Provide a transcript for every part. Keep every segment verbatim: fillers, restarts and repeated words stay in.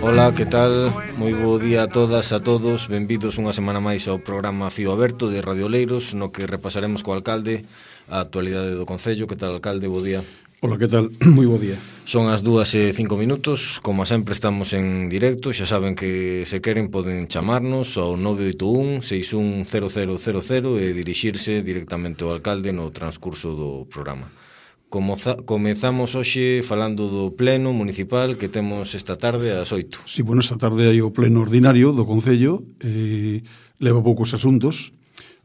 Ola, que tal? Moi bo día a todas, a todos. Benvidos unha semana máis ao programa Fío Aberto de Radio Oleiros, no que repasaremos co alcalde a actualidade do Concello. Que tal, alcalde? Bo día. Ola, que tal? Moi bo día. Son as dúas e cinco minutos. Como sempre estamos en directo. Xa saben que se queren poden chamarnos ao nove oito un, seis un cero cero cero cero e dirixirse directamente ao alcalde no transcurso do programa. Comoza, comezamos hoxe falando do pleno municipal que temos esta tarde ás oito. Si, sí, bueno, esta tarde hai o pleno ordinario do Concello, eh, leva poucos asuntos,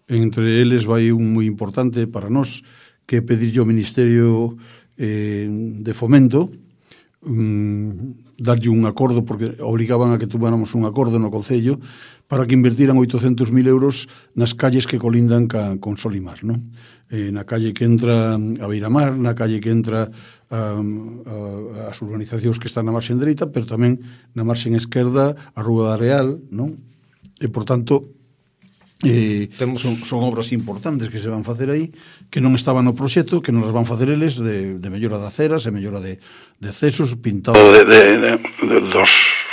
entre eles vai un moi importante para nós, que é pedirlle ao Ministerio eh, de Fomento, um, darlle un acordo, porque obligaban a que tuviéramos un acordo no Concello, para que invertiran oitocentos mil euros nas calles que colindan ca, con Solimar, non? Eh, na calle que entra a Beiramar, na calle que entra a, a, as urbanizacións que están na marxen dereita, pero tamén na marxen esquerda a Rúa da Real, non? E, por tanto, eh, Temos... son, son obras importantes que se van facer aí, que non estaban no proxecto, que non as van facer eles de, de mellora de aceras, e mellora de, de accesos, pintado... De, de, de, de, dos,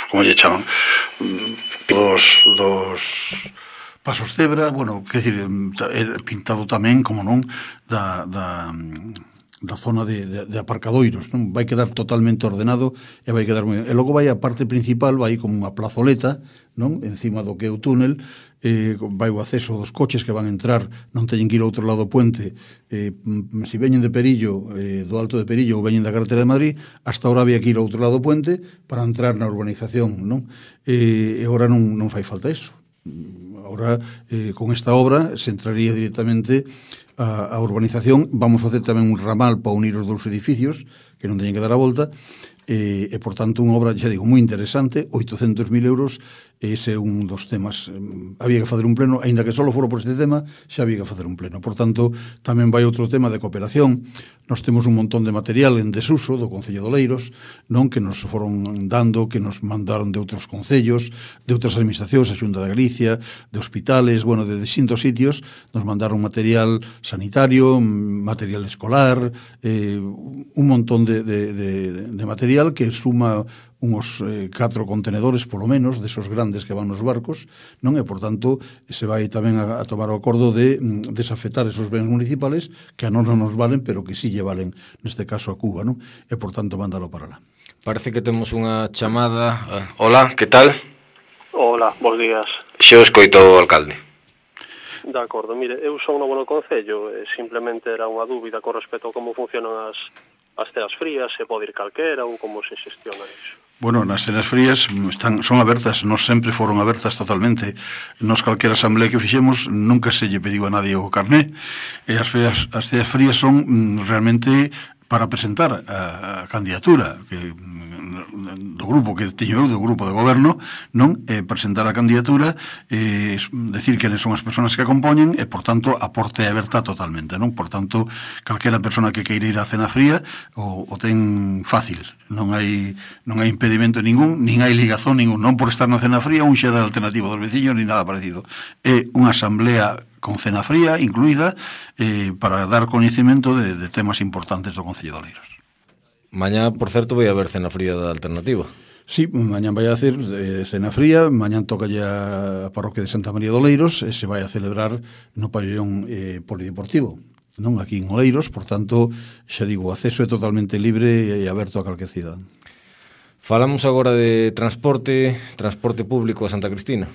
como lle chaman, dos... dos pasos cebra, bueno, quer dizer, pintado tamén, como non, da, da, da zona de, de, de aparcadoiros, non? Vai quedar totalmente ordenado e vai quedar moi... E logo vai a parte principal, vai como unha plazoleta, non? Encima do que é o túnel, eh, vai o acceso dos coches que van a entrar, non teñen que ir ao outro lado do puente, eh, se veñen de Perillo, eh, do Alto de Perillo ou veñen da carretera de Madrid, hasta ahora había que ir ao outro lado do puente para entrar na urbanización, non? Eh, e agora non, non fai falta eso. Ahora, eh, con esta obra se entraría directamente a, a urbanización. Vamos a facer tamén un ramal para unir os dous edificios, que non teñen que dar a volta, e, e por tanto, unha obra, xa digo, moi interesante, oitocentos mil euros, ese é un dos temas. Había que facer un pleno, aínda que só fora por este tema, xa había que facer un pleno. Por tanto, tamén vai outro tema de cooperación. Nos temos un montón de material en desuso do Concello de Oleiros, non, que nos foron dando, que nos mandaron de outros concellos, de outras administracións, a Xunta de Galicia, de hospitales, bueno, de distintos sitios, nos mandaron material sanitario, material escolar, eh, un montón de, de, de, de material que suma uns eh, catro contenedores, polo menos, desos grandes que van nos barcos, non? E, por tanto, se vai tamén a, a tomar o acordo de mm, desafetar esos bens municipales que a nós non nos valen, pero que sí lle valen, neste caso, a Cuba, non? E, por tanto, mándalo para lá. Parece que temos unha chamada. Uh, hola, que tal? Hola, bons días. Xe o escoito o alcalde. De acordo, mire, eu son novo no Concello, e simplemente era unha dúbida con respecto a como funcionan as, as ceas frías, se pode ir calquera ou como se xestiona iso. Bueno, nas cenas frías están, son abertas, non sempre foron abertas totalmente. Nos calquera asamblea que fixemos nunca se lle pediu a nadie o carné, e as, feas, as ceas frías son mm, realmente para presentar a, a candidatura que, do grupo que teño eu, do grupo de goberno, non? Eh, presentar a candidatura, eh, decir quenes son as persoas que acompoñen e, por tanto, a porta é aberta totalmente, non? Por tanto, calquera persona que queira ir á cena fría o, o ten fácil, non hai non hai impedimento ningún, nin hai ligazón ningún, non por estar na cena fría un xa da alternativa dos veciños, ni nada parecido. É unha asamblea con cena fría incluída, eh, para dar coñecemento de, de temas importantes do Concello de Oleiros. Mañá, por certo, vai haber cena fría da alternativa. Sí, mañán vai a hacer eh, cena fría, mañán toca ya a parroquia de Santa María de Oleiros e se vai a celebrar no pabellón eh, polideportivo, non? Aquí en Oleiros, por tanto, xa digo, o acceso é totalmente libre e aberto a calquer cidadán. Falamos agora de transporte, transporte público a Santa Cristina.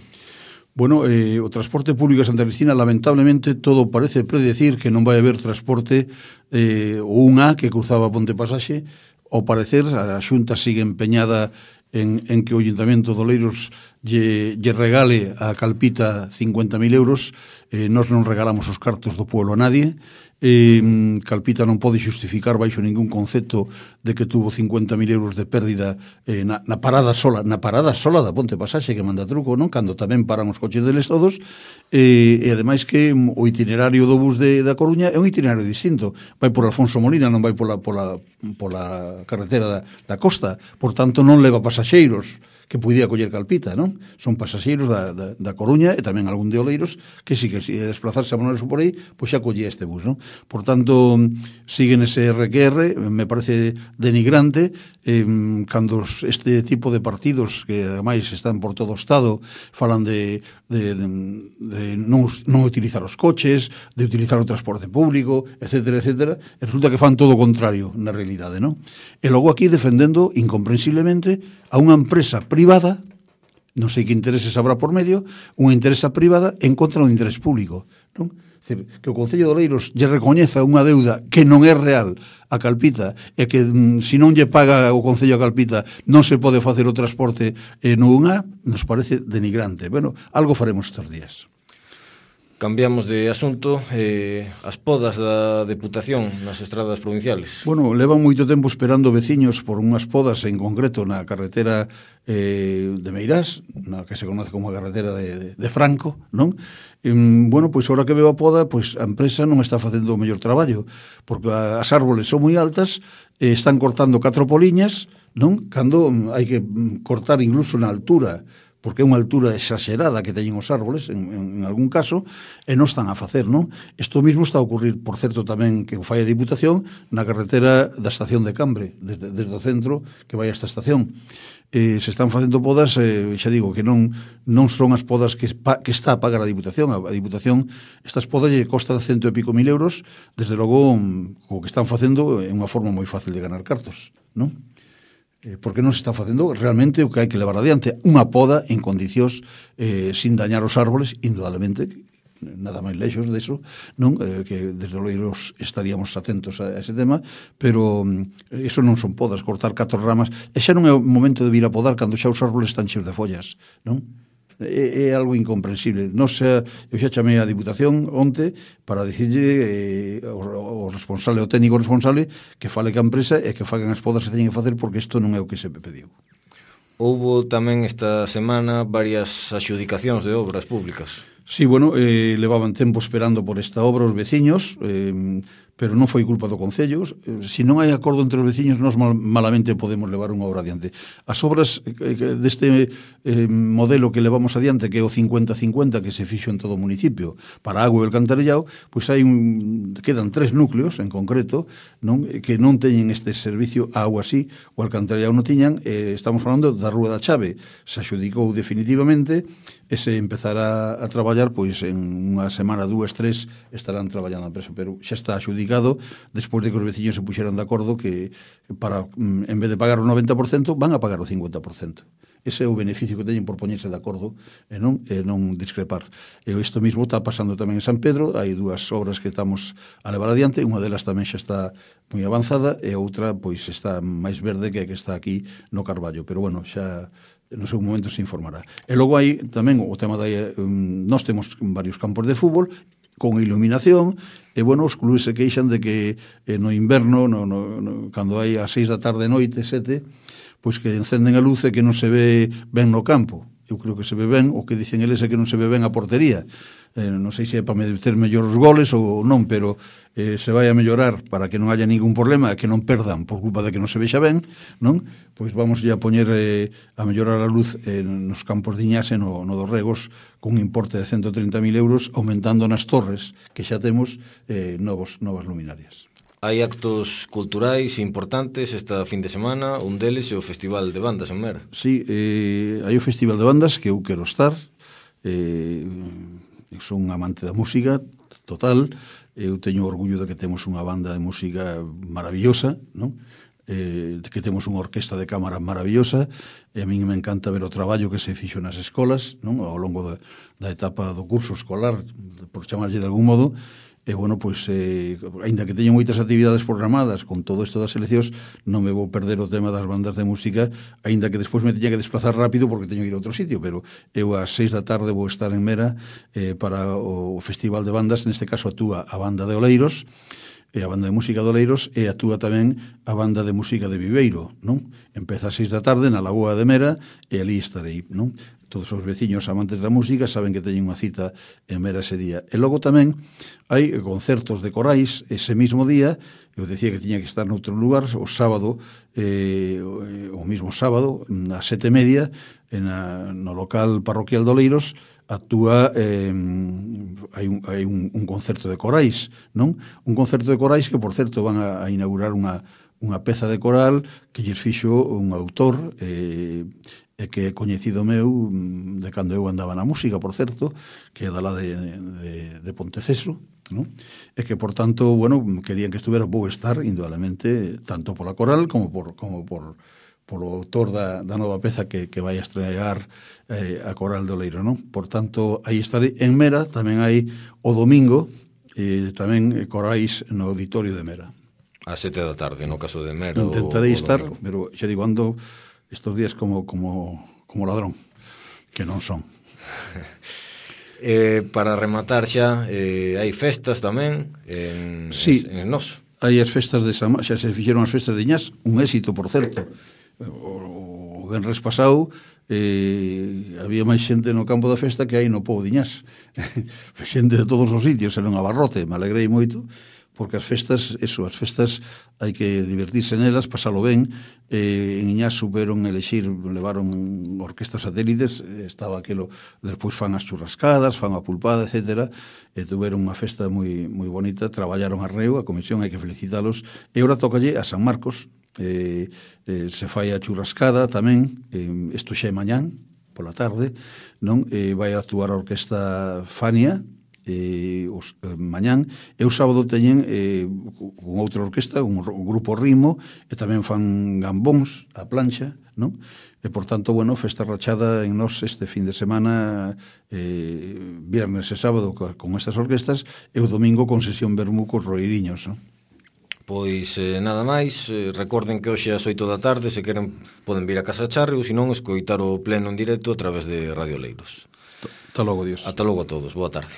Bueno, eh, o transporte público a Santa Cristina, lamentablemente, todo parece predecir que non vai haber transporte eh, ou unha que cruzaba Ponte Pasaxe. Ao parecer, a Xunta sigue empeñada en, en que o Ayuntamento de Oleiros lle, lle regale a Calpita cincuenta mil euros. Eh, nós non regalamos os cartos do pueblo a nadie. Eh, Calpita non pode xustificar baixo ningún concepto de que tuvo cincuenta mil euros de pérdida eh, na, na parada sola na parada sola da Ponte Pasaxe, que manda truco, non? Cando tamén paran os coches deles todos, eh, e ademais que o itinerario do bus de, da Coruña é un itinerario distinto, vai por Alfonso Molina, non vai pola, pola, pola carretera da, da costa, por tanto non leva pasaxeiros que podía coller Calpita, non? Son pasaxeiros da, da, da Coruña e tamén algún de Oleiros que si que si desplazarse a Manuel por aí, pois xa collía este bus, non? Por tanto, siguen ese R Q R, me parece denigrante, eh, cando este tipo de partidos que ademais están por todo o Estado falan de, de, de, de non, non utilizar os coches, de utilizar o transporte público, etcétera, etcétera, e resulta que fan todo o contrario na realidade, non? E logo aquí defendendo incomprensiblemente a unha empresa privada, non sei que intereses habrá por medio, unha empresa privada en contra do interés público, non? Decir, que o Concello de Oleiros lle recoñeza unha deuda que non é real a Calpita e que mm, se non lle paga o Concello a Calpita non se pode facer o transporte eh, no unha, nos parece denigrante. Bueno, algo faremos estes días. Cambiamos de asunto, eh, as podas da Deputación nas estradas provinciales. Bueno, levan moito tempo esperando veciños por unhas podas, en concreto na carretera eh, de Meirás, na que se conoce como a carretera de, de, de Franco, non? E, bueno, pois agora que veo a poda, pois a empresa non está facendo o mellor traballo, porque as árboles son moi altas, eh, están cortando catro poliñas, non? Cando hai que cortar incluso na altura, porque é unha altura exagerada que teñen os árboles, en, en, en algún caso, e non están a facer, non? Isto mismo está a ocurrir, por certo, tamén que o fai a Diputación na carretera da estación de Cambre, desde, desde o centro que vai a esta estación. Eh, se están facendo podas, eh, xa digo, que non non son as podas que, pa, que está a pagar a Diputación. A, a Diputación, estas podas lle costa cento e pico mil euros, desde logo, o que están facendo é unha forma moi fácil de ganar cartos, non? Porque non se está facendo realmente o que hai que levar adiante, unha poda en condicións eh, sin dañar os árboles, indudablemente, nada máis lexos deso, non? Eh, que desde Oleiros estaríamos atentos a ese tema, pero eh, eso non son podas, cortar catro ramas, e xa non é o momento de vir a podar cando xa os árboles están cheos de follas, non? É, é algo incomprensible. Non xa, eu xa chamei a Diputación onte para dicirlle eh, o, o responsable, o técnico responsable, que fale ca empresa e que fagan as podas que teñen que facer, porque isto non é o que se pediu. Houbo tamén esta semana varias adxudicacións de obras públicas. Sí, bueno, eh, levaban tempo esperando por esta obra os veciños, eh, pero non foi culpa do Concello. Se non hai acordo entre os veciños, nós mal, malamente podemos levar unha obra adiante. As obras eh, deste eh, modelo que levamos adiante, que é o cincuenta cincuenta que se fixo en todo o municipio para agua e o alcantarillado, pois hai un, quedan tres núcleos en concreto, non, que non teñen este servicio a agua así, o alcantarillado non tiñan. Eh, estamos falando da Rúa da Chave, se adxudicou definitivamente, e se empezará a traballar, pois en unha semana, dúas, tres, estarán traballando a empresa, pero xa está adxudicado despois de que os veciños se puxeran de acordo que para, en vez de pagar o noventa por cento, van a pagar o cincuenta por cento. Ese é o beneficio que teñen por poñerse de acordo e non, e non discrepar. E isto mismo está pasando tamén en San Pedro, hai dúas obras que estamos a levar adiante, unha delas tamén xa está moi avanzada e outra pois está máis verde que a que está aquí no Carballo, pero bueno, xa no seu momento se informará. E logo hai tamén o tema da... Um, nós temos varios campos de fútbol con iluminación, e, bueno, os clubes se queixan de que eh, no inverno, no, no, no, cando hai as seis da tarde, noite, sete, pois que encenden a luz e que non se ve ben no campo. Eu creo que se ve ben, o que dicen eles é que non se ve ben a portería. Eh, non sei se é para meter mellor os goles ou non, pero eh, se vai a mellorar para que non haya ningún problema, que non perdan por culpa de que non se vexa ben, non? Pois vamos a poñer eh, a mellorar a luz eh, nos campos de Iñase, no, no dos Regos, con un importe de ciento trinta mil euros, aumentando nas torres que xa temos eh, novos, novas luminarias. Hai actos culturais importantes esta fin de semana, un deles é o Festival de Bandas en Mera. Sí, eh, hai o Festival de Bandas que eu quero estar, eh, eu son un amante da música total, eu teño orgullo de que temos unha banda de música maravillosa, non? Eh, que temos unha orquesta de cámara maravillosa, e a min me encanta ver o traballo que se fixo nas escolas, non? Ao longo da, da etapa do curso escolar, por chamarlle de algún modo. E, bueno, pois, eh, ainda que teño moitas actividades programadas con todo isto das eleccións, non me vou perder o tema das bandas de música, ainda que despois me teña que desplazar rápido porque teño que ir a outro sitio, pero eu ás seis da tarde vou estar en Mera eh, para o Festival de Bandas, neste caso actúa a banda de Oleiros, e a banda de música de Oleiros, e actúa tamén a banda de música de Viveiro, non? Empeza a seis da tarde na Lagoa de Mera e ali estarei, non? Todos os veciños amantes da música saben que teñen unha cita en Mera ese día. E logo tamén hai concertos de corais ese mismo día. Eu decía que tiña que estar noutro lugar o sábado, eh, o mismo sábado, a sete e media, en a, no local parroquial de Oleiros, actúa, eh, hai, un, hai un, un concerto de corais, non? Un concerto de corais que, por certo, van a, a inaugurar unha, unha peza de coral que lles fixo un autor, eh, e que é coñecido meu de cando eu andaba na música, por certo, que é da lá de, de, de Ponteceso, non? E que, por tanto, bueno, querían que estuvera, vou estar, indudablemente, tanto pola coral como por, como por polo autor da, da nova peza que, que vai a estrear eh, a Coral de Oleiro, non? Por tanto, aí estarei en Mera, tamén hai o domingo, eh, tamén corais no auditorio de Mera. A sete da tarde, no caso de Mera. Intentarei estar, pero xa digo, ando estos días como, como, como ladrón, que non son. eh, para rematar xa, eh, hai festas tamén en, sí, en, en Nos. Hai as festas de Sama, xa se fixeron as festas de Iñás, un éxito, por certo. O, o venres pasado eh, había máis xente no campo da festa que hai no pobo de Iñás. Xente de todos os sitios, era un abarrote, me alegrei moito, porque as festas, eso, as festas hai que divertirse nelas, pasalo ben. Eh, en Iñás superon elexir, levaron orquestas satélites, estaba aquelo, despois fan as churrascadas, fan a pulpada, etcétera, e tuveron unha festa moi moi bonita, traballaron a reo, a comisión, hai que felicitalos, e ora tócalle a San Marcos, eh, eh, se fai a churrascada tamén, eh, isto xa é mañán, pola tarde, non? Eh, vai a actuar a orquesta Fania, eh, os, eh, mañán, e o sábado teñen eh, con outra orquesta, un, un grupo Rimo, e tamén fan gambóns a plancha, non? E, por tanto, bueno, festa rachada en Nos este fin de semana, eh, viernes e sábado con estas orquestas, e o domingo con sesión vermú cos roiriños, non? Pois eh, nada máis, eh, recorden que hoxe ás oito da tarde, se queren poden vir a Casa Charri ou se non escoitar o pleno en directo a través de Radio Oleiros. Ata logo, Dios. Ata logo a todos, boa tarde.